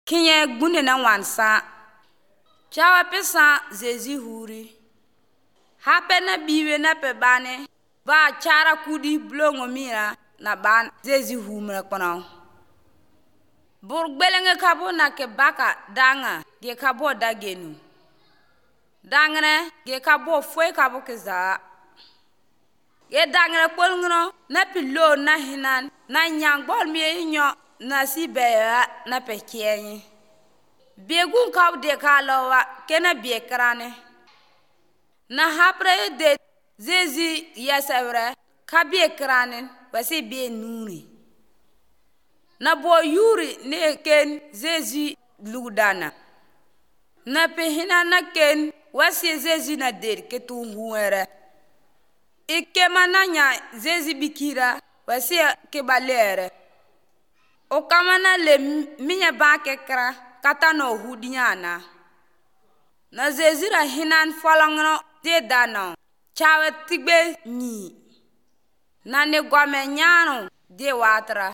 Kinye gbunde na wansa. Chawa pesa zezi huri. Hape na biwe na pe bane. Ba chara kudi blongo mira na ban zezi humra kono. Burgbelenge kabo na ke baka danga ge kabo dagenu. Dangre ge kabo fwe kabo ke za. Ge dangre polngno na pilo na hinan na nyang bol mi nyo na si beya na pe kienyi. Begun kab de kalawa kena bekrane. Na hapre de zezi yasawre ka bekrane wasi be nuni. Na bo yuri ne ken zezi lugdana. Na pe hina na ken wasi zezi na der ketu huere. Ike mananya zezi bikira wasi kebalere. O kamana le minya ba kekra kata no hudinyana. Na zezi ra hinan folongno de dano. Chawe tigbe nyi. Na ne gwame nyano de watra.